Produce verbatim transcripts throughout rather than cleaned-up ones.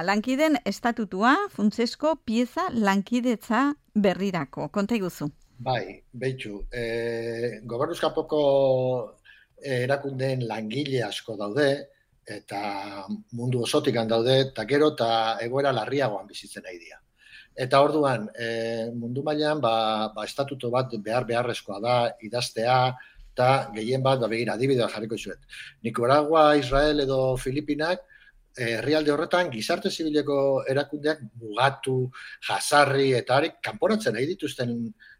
Lankideen estatutua, funtsezko pieza lankidetza berrirako. Konta iguzu. Bai, behitxu. E, Gobernuz kanpoko erakundeen langile asko daude, eta mundu osotik daude, eta gero eta egoera larriagoan bizitzen nahi dira. Eta orduan, e, mundu mailan ba, ba, estatuto bat behar beharrezkoa da, idaztea, eta gehien bat, ba, begira, adibidea jarriko izuet. Nicaragua, Israel edo Filipinak, herrialde horretan gizarte zibileko erakundeak mugatu, jasarri eta harik kanporatzen nahi dituzten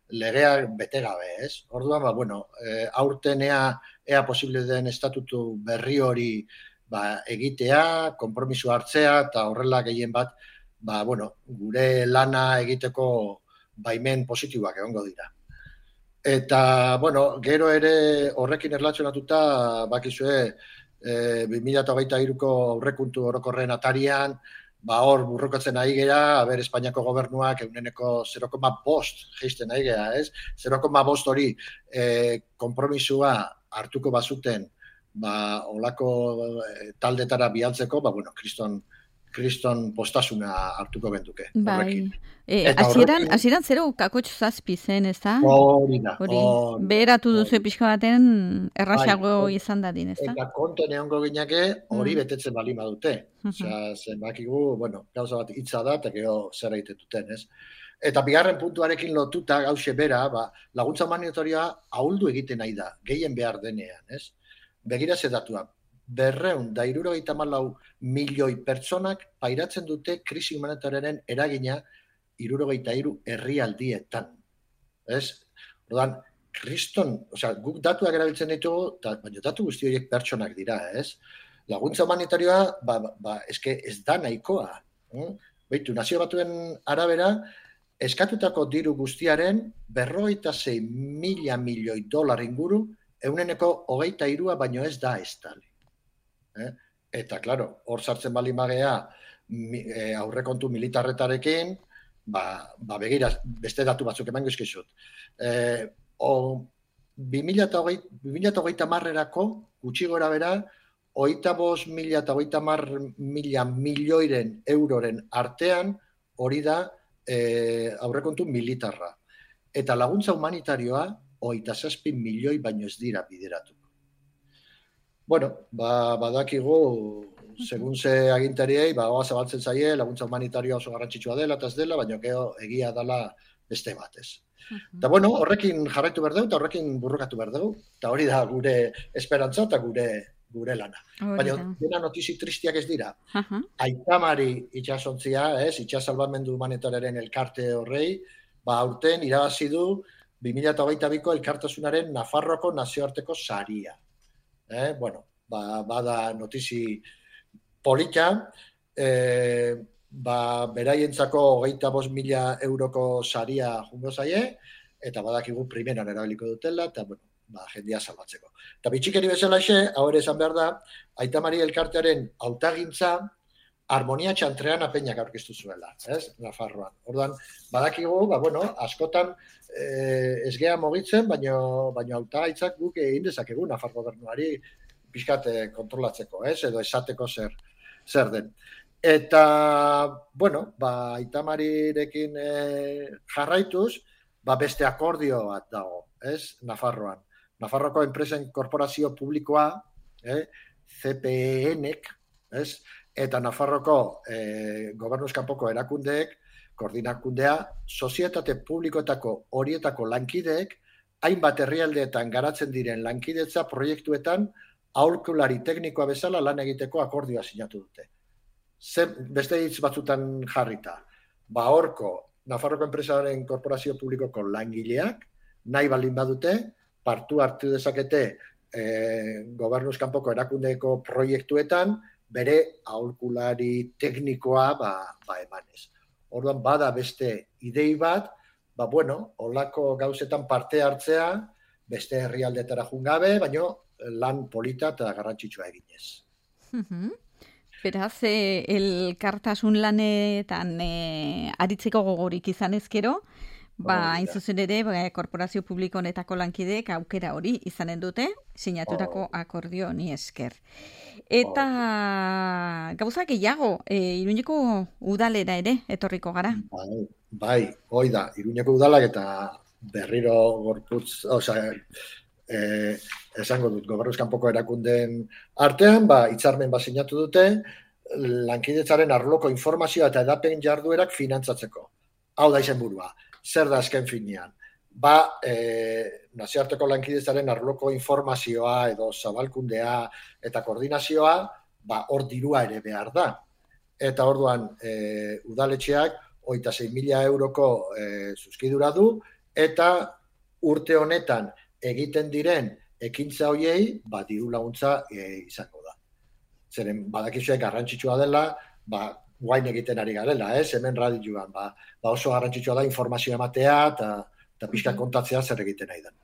legeak bete gabe, ez? Orduan, ba, bueno, e, aurten ea, ea posible den estatutu berri hori ba, egitea, konpromiso hartzea, eta horrela gehien bat, ba, bueno, gure lana egiteko baimen positiboak egongo dira. Eta, bueno, gero ere horrekin erlazionatuta, bakizue, E, bi mila hogeita hiruko aurrekontu orokorren atarian, ba hor burrukatzen ari gera, aber Espainiako gobernuak ehuneko zero koma bost jaisten ari gera, ez? zero koma bost hori e, konpromisua hartuko bazuten, ba olako e, taldetara bialtzeko, ba bueno, kriston kriston postasuna hartuko genduke. Bai. Eh, hasieran, hasieran zero kakotx zazpi zen, ez da? Hori da. Hori, beheratu duzu pixka baten erraxago izan dadin, ez da? Eta konten egongo gineke hori betetzen bali badute. Osea, zenbakigu, bueno, gauza bat hitza da, eta gero zer egiten duten, ez? Eta bigarren puntuarekin lotuta gauze bera, ba, laguntza humanitarioa ahuldu egiten nahi da, gehien behar denean, ez? Begira ze datua, berreun da hirurogeita hamalau milioi pertsonak pairatzen dute krisi humanitarioaren eragina hirurogeita hiru herrialdietan. Ez? Orduan, kriston, osea, guk datuak erabiltzen ditugu, ta, baina datu guzti horiek pertsonak dira, ez? Laguntza humanitarioa, ba, ba, eske ez da nahikoa. Eh? Beitu, nazio batuen arabera, eskatutako diru guztiaren berrogeita sei mila milioi dolar inguru, euneneko hogeita hirua baino ez da estali. Eh? Eta, klaro, hor sartzen bali magea e, aurrekontu militarretarekin, ba, ba begira, beste datu batzuk emango izkizut. E, bi mila hogeita marrerako, gutxi gora bera, hogeita bost mila eta hogeita mar mila milioiren euroren artean hori da e, aurrekontu militarra. Eta laguntza humanitarioa hogeita zazpi milioi baino ez dira bideratu. Bueno, ba, badakigu, segun ze agintariei, ba, oa zabaltzen zaie, laguntza humanitarioa oso garrantzitsua dela, eta ez dela, baina gero egia dela beste batez. Eta bueno, horrekin jarraitu behar dugu, eta horrekin burrukatu behar dugu, eta hori da gure esperantza eta gure, gure lana. Baina dena notizi tristiak ez dira. Uh-huh. Aitamari itxasontzia, ez, itxasalbamendu humanitarioaren elkarte horrei, ba, aurten irabazi du bi mila hogeita biko elkartasunaren Nafarroako nazioarteko saria. Eh, bueno, ba, bada notizi polita, eh, ba, beraientzako hogeita bost mila euroko saria jungo zaie, eta badakigu primeran erabiliko dutela, eta bueno, ba, jendia salbatzeko. Eta bitxikeri bezala xe, hau ere esan behar da, Aitamari elkartearen hautagintza harmonia txantrean apeñak aurkeztu zuela, ez, Nafarroan. Orduan, badakigu, ba, bueno, askotan eh, ez gea mogitzen, baina baino hautagaitzak guk egin dezakegu Nafar gobernuari pixkat eh, kontrolatzeko, ez, edo esateko zer, zer den. Eta, bueno, ba, Aitamarirekin eh, jarraituz, ba, beste akordio bat dago, ez, Nafarroan. Nafarroko enpresen korporazio publikoa, eh, C P N-ek, ez, eta Nafarroko eh, gobernuz kanpoko erakundeek, koordinakundea, sozietate publikoetako horietako lankideek, hainbat herrialdeetan garatzen diren lankidetza proiektuetan aholkulari teknikoa bezala lan egiteko akordioa sinatu dute. Zer, beste hitz batzutan jarrita, ba horko Nafarroko enpresaren korporazio publikoko langileak, nahi baldin badute, partu hartu dezakete eh, gobernuz kanpoko erakundeeko proiektuetan, bere aholkulari teknikoa ba, ba emanez. Orduan, bada beste idei bat, ba, bueno, olako gauzetan parte hartzea, beste herrialdetara jungabe, baino lan polita eta garrantzitsua eginez. Uh-huh. Beraz, eh, elkartasun lanetan eh, aritzeko gogorik izan ezkero, Ba, hain zuzen ere, ba, korporazio publiko honetako lankideek aukera hori izanen dute, sinatutako akordio honi esker. Eta gauza gehiago, e, Iruñeko udalera ere etorriko gara. Bai, bai, hoi da, Iruñeko udalak eta berriro gorputz, osea, eh, esango dut, gobernuz kanpoko erakundeen artean, ba, hitzarmen bat sinatu dute, lankidetzaren arloko informazioa eta edapen jarduerak finantzatzeko. Hau da izenburua. Zer da azken finean? Ba, e, nazioarteko lankidetzaren arloko informazioa edo zabalkundea eta koordinazioa, ba, hor dirua ere behar da. Eta orduan, e, udaletxeak hogeita sei mila euroko e, zuzkidura du, eta urte honetan egiten diren ekintza hoiei, ba, diru laguntza e, izango da. Zeren, badakizuek garrantzitsua dela, ba, guain egiten ari garela, ez, hemen radioan, ba, ba oso garrantzitsua da informazioa ematea eta, eta pixka kontatzea zer egiten nahi da.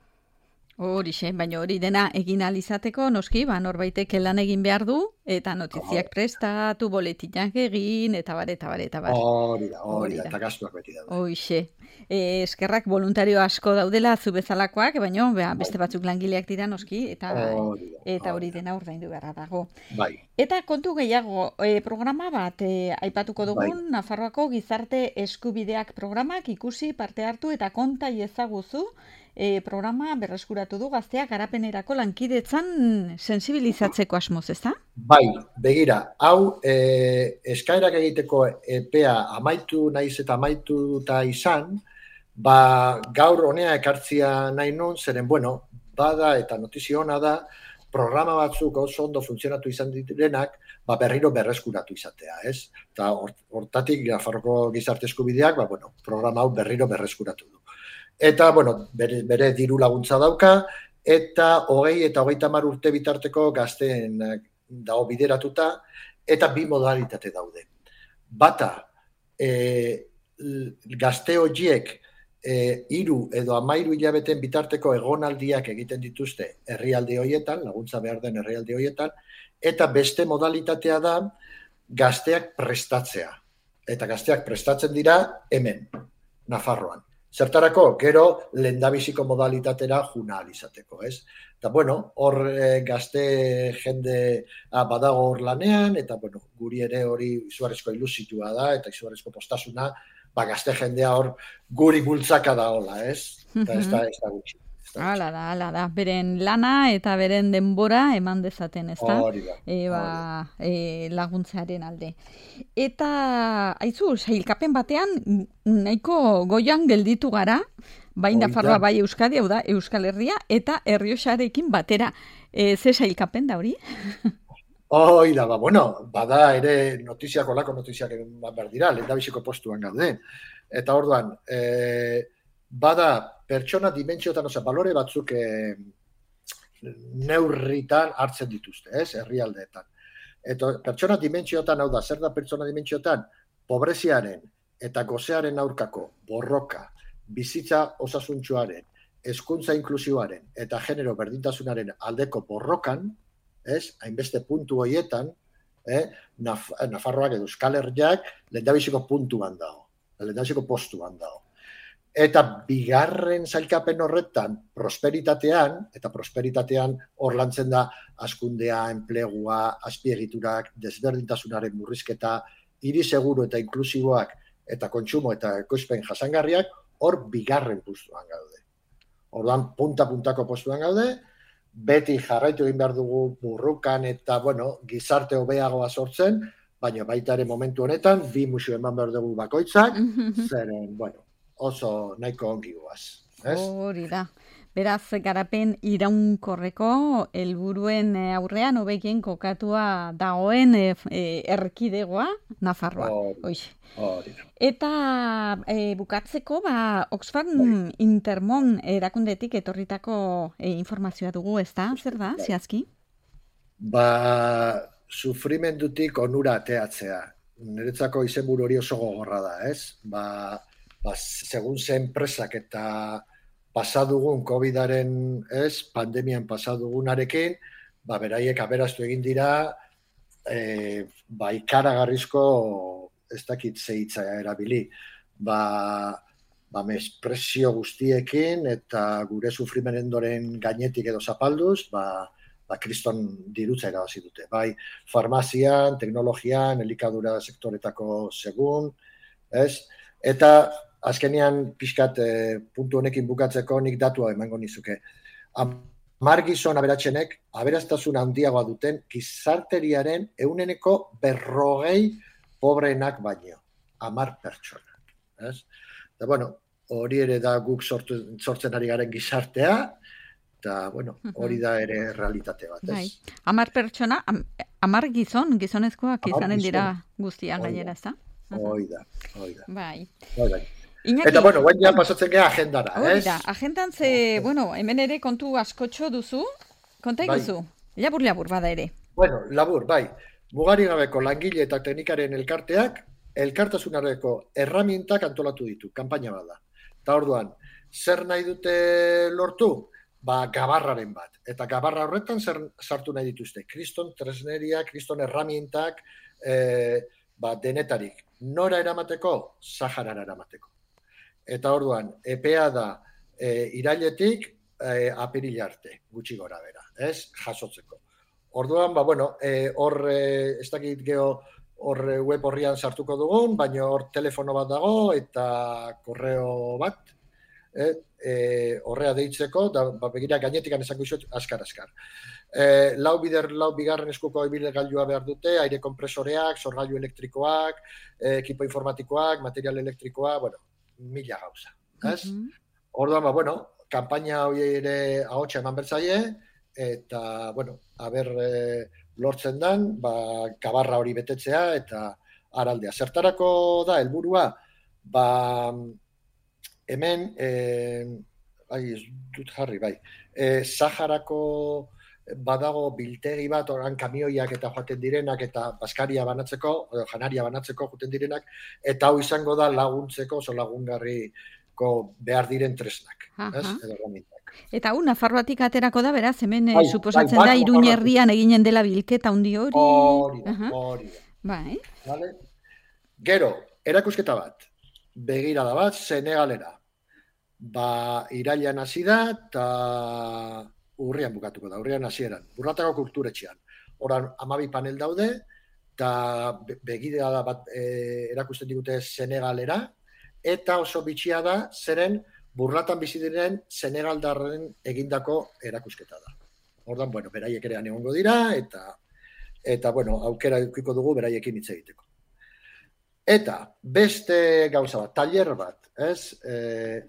Horixe, baina hori dena egin alizateko, noski, ba, norbaitek lan egin behar du, eta notiziak prestatu, boletinak egin, eta bar, eta bar, eta bar. Hori da, hori da, eta gastuak beti daude. Horixe. E, eskerrak voluntario asko daudela zu bezalakoak, baina beste batzuk langileak dira noski, eta hori, da, eta hori dena ordaindu beharra dago. Bai. Eta kontu gehiago, e, programa bat e, aipatuko dugun, bai. Nafarroako gizarte eskubideak programak ikusi, parte hartu eta konta ezaguzu, E, programa berreskuratu du gazteak garapenerako lankidetzan sensibilizatzeko asmoz, ezta? Bai, begira, hau e, eskaerak egiteko epea amaitu naiz eta amaituta izan, ba gaur honea ekartzia nahi nun, zeren, bueno, bada eta notizio ona da, programa batzuk oso ondo funtzionatu izan direnak, ba berriro berreskuratu izatea, ez? Eta hortatik Nafarroko gizarte eskubideak, ba bueno, programa hau berriro berreskuratu du. Eta, bueno, bere, bere diru laguntza dauka, eta hogei eta hogeita hamar urte bitarteko gazteen dago bideratuta, eta bi modalitate daude. Bata, e, gazte horiek e, hiru edo hamairu hilabeten bitarteko egonaldiak egiten dituzte herrialde horietan, laguntza behar den herrialde horietan, eta beste modalitatea da gazteak prestatzea. Eta gazteak prestatzen dira hemen, Nafarroan. Zertarako, gero lehendabiziko modalitatera juna alizateko, ez? Eta, bueno, hor e, gazte jende a, badago hor lanean, eta, bueno, guri ere hori izugarrizko ilusitua da, eta izugarrizko postasuna, ba, gazte jendea hor guri bultzaka da hola, ez? Eta ez da, ez da gutxi. Hala da, hala da. Beren lana eta beren denbora eman dezaten, ez da? Hori da. E, ba, e, laguntzaren alde. Eta, haizu, sailkapen batean, nahiko goian gelditu gara, bai Nafarroa, bai Euskadi, hau da, Euskal Herria, eta Errioxarekin batera. E, ze sailkapen da hori? Hoi da, ba, bueno, bada ere notiziak, olako notiziak behar dira, lehendabiziko postuan gaude. Eta orduan, e, bada pertsona dimentsiotan, oza, balore batzuk e, neurritan hartzen dituzte, ez, herrialdeetan. Eta pertsona dimentsiotan, hau da, zer da pertsona dimentsiotan, pobreziaren eta gozearen aurkako borroka, bizitza osasuntsuaren, hezkuntza inklusiboaren eta genero berdintasunaren aldeko borrokan, ez, hainbeste puntu horietan, eh, Naf Nafarroak edo Euskal Herriak lehendabiziko puntuan dago, lehendabiziko postuan dago. Eta bigarren sailkapen horretan prosperitatean, eta prosperitatean hor lantzen da hazkundea, enplegua, azpiegiturak, desberdintasunaren murrizketa, hiri seguru eta inklusiboak eta kontsumo eta ekoizpen jasangarriak hor bigarren postuan gaude. Orduan punta-puntako postuan gaude, beti jarraitu egin behar dugu burrukan eta, bueno, gizarte hobeagoa sortzen, baina baita ere momentu honetan, bi musu eman behar dugu bakoitzak, zeren, bueno, oso nahiko ongi guaz. Hori da. Beraz, garapen iraunkorreko helburuen aurrean hobekien kokatua dagoen e, e, erkidegoa Nafarroa. Hori da. Eta e, bukatzeko, ba, Oxfam Bai. Intermon erakundetik etorritako e, informazioa dugu, ez da? Zer da, bai. Zehazki? Ba, sufrimendutik onura ateatzea. Niretzako izenburu hori oso gogorra da, ez? Ba, Ba, segun ze enpresak eta pasadugun covidaren, ez, pandemian pasadugunarekin, ba, beraiek aberaztu egin dira, e, ba, ikaragarrizko, ez dakit ze hitza erabili, ba, ba, mespresio guztiekin eta gure sufrimenendoren gainetik edo zapalduz, ba, ba, kriston dirutza irabazi dute. Bai, farmazian, teknologian, elikadura sektoretako segun, ez? Eta azkenean pixkat eh, puntu honekin bukatzeko nik datua emango nizuke. Hamar gizon aberatsenek aberastasun handiagoa duten gizarteriaren ehuneko berrogei pobreenak baino. Hamar pertsona. Ez? Eta, bueno, hori ere da guk sortu, sortzen ari garen gizartea, eta, bueno, hori da ere realitate bat, ez? Bai. Hamar pertsona, am, hamar gizon, gizonezkoak izanen dira guztian gainera, ez da? Hoi da, hoi da. Bai. Bai, bai. Iñaki, eta, bueno, guain ja pasatzen gara agendara, ez? Hori da, agendan ze, bueno, hemen ere kontu askotxo duzu, konta iguzu, bai. Labur-labur bada ere. Bueno, labur, bai. Mugari gabeko langile eta teknikaren elkarteak, elkartasunareko erramintak antolatu ditu, kanpaina bada. Eta orduan, zer nahi dute lortu? Ba, gabarraren bat. Eta gabarra horretan zer sartu nahi dituzte. Kriston tresneria, kriston erramintak, e, ba, denetarik. Nora eramateko? Saharara eramateko. Eta orduan, epea da e, irailetik e, apirila arte, gutxi gora bera, ez? Jasotzeko. Orduan, ba, bueno, e, hor, e, ez dakit geho, hor web horrian sartuko dugun, baina hor telefono bat dago eta korreo bat, e, e, horrea deitzeko, da, ba, begira gainetik anezango izot, askar-askar. E, lau bider, lau bigarren eskuko ibilgailua behar dute, aire kompresoreak, sorgailu elektrikoak, e, ekipo informatikoak, material elektrikoa, bueno, mila gauza. Ez? Mm-hmm. Orduan, ba, bueno, kanpaina hori ere ahotsa eman bertzaie, eta, bueno, haber e, lortzen dan, ba, gabarra hori betetzea eta araldea. Zertarako da, helburua, ba, hemen, e, bai, dut jarri, bai, e, Saharako badago biltegi bat, oran kamioiak eta joaten direnak, eta baskaria banatzeko, edo janaria banatzeko joaten direnak, eta hau izango da laguntzeko, oso lagungarriko behar diren tresnak. Ez? Edo ramintak. Eta hau, Nafarroatik aterako da, beraz, hemen bai, suposatzen bai, da, Iruña herrian eginen dela bilketa handi hori. Hori da, hori da. Bai. Vale? Gero, erakusketa bat, begirada bat, Senegalera. Ba, irailan hasi da, eta urrian bukatuko da, urrian hasieran, Burlatako kulturetxean. Horan, hamabi panel daude, eta begirada bat e, erakusten digute Senegalera, eta oso bitxia da, zeren Burlatan bizi diren Senegaldarren egindako erakusketa da. Ordan, bueno, beraiek ere egongo dira, eta, eta bueno, aukera edukiko dugu beraiekin hitz egiteko. Eta, beste gauza bat, taller bat, ez? E,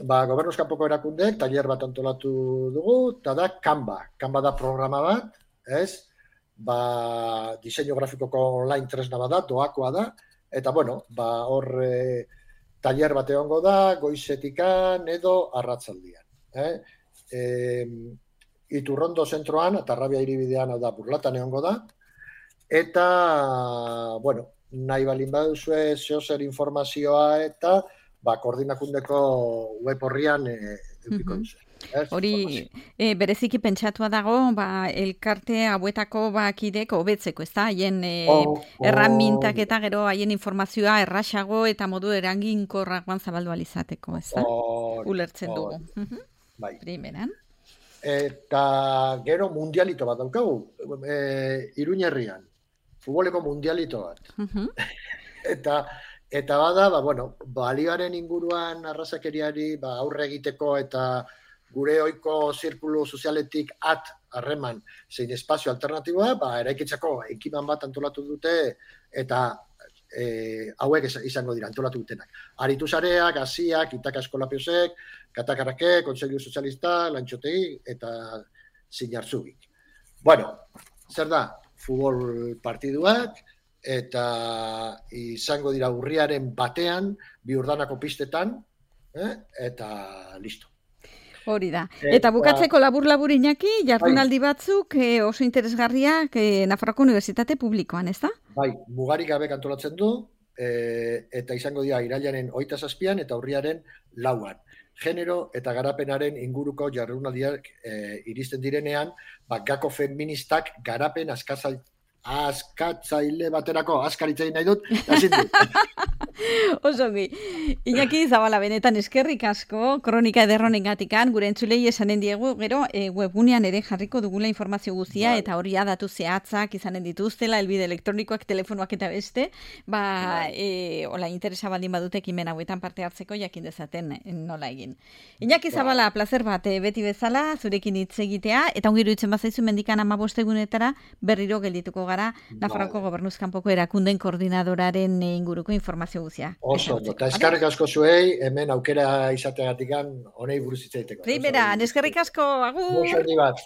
ba, Gobernuz kanpoko erakundek, taller bat antolatu dugu, eta da Canva. Canva da programa bat, ez? Ba, diseinu grafikoko online tresna bat da, doakoa da, eta, bueno, ba, hor... E, taller bat egongo da, goizetikan edo arratzaldian. Eh? E, Iturrondo zentroan, eta Arrabia hiribidean da Burlatan egongo da, eta, bueno, nahi balin baduzue zeozer informazioa eta ba, koordinakundeko web horrian e, eukiko mm-hmm. duzu. Hori, e, bereziki pentsatua dago, ba, elkarte hauetako ba, kidek hobetzeko, ez da? Haien e, oh, oh. erramintak eta gero haien informazioa erraxago eta modu eraginkorragoan zabaldu alizateko, ez da? Oh, ulertzen oh. dugu. Bai. Primeran. Eta gero mundialito bat daukagu, e, Iruña herrian, futboleko mundialito bat. Uh-huh. eta eta bada, ba, bueno, balioaren inguruan arrazakeriari ba, aurre egiteko eta gure ohiko zirkulu sozialetik at harreman zein espazio alternatiboa, ba, eraikitzeko ekiman bat antolatu dute eta e, hauek izango dira antolatu dutenak. Aritu sareak, Asiak, Itaka Eskolapiosek, Katakarake, Kontseilu Sozialista, Lantxotegi eta Zinartzugik. Bueno, zer da? Futbol partiduak eta izango dira urriaren batean, bi urdanako pistetan, eh? Eta listo. Hori da. Eta bukatzeko labur-labur Iñaki, jardunaldi batzuk e, oso interesgarriak e, Nafarroako Unibertsitate Publikoan, ez da? Bai, mugarik gabe antolatzen du, e, eta izango dira irailaren hogeita zazpian eta urriaren lauan. Genero eta garapenaren inguruko jardunaldiak e, iristen direnean, ba, gako feministak garapen askatzaile baterako askaritzein nahi dut, ezin dut. Osongi. Iñaki Zabala, benetan eskerrik asko, kronika ederronen gatikan, gure entzulei esanen diegu, gero e, webgunean ere jarriko dugula informazio guztia, bai. Eta hori datu zehatzak izanen dituztela, elbide elektronikoak, telefonoak eta beste, ba, bai. e, hola, interesa baldin badute ekimen hauetan parte hartzeko jakin dezaten nola egin. Iñaki Zabala, bai. Plazer bat, e, beti bezala, zurekin hitz egitea, eta ongiru itzen bazaizu mendikan amabost egunetara berriro geldituko gara, Nafarroako bai. Gobernuzkanpoko erakunden koordinadoraren inguruko informazio guztia. Oso, eta eskerrik asko zuei, hemen aukera izateagatikan honei buruz hitz egiteko. Primera, eskerrik asko, agur! Muxo bat.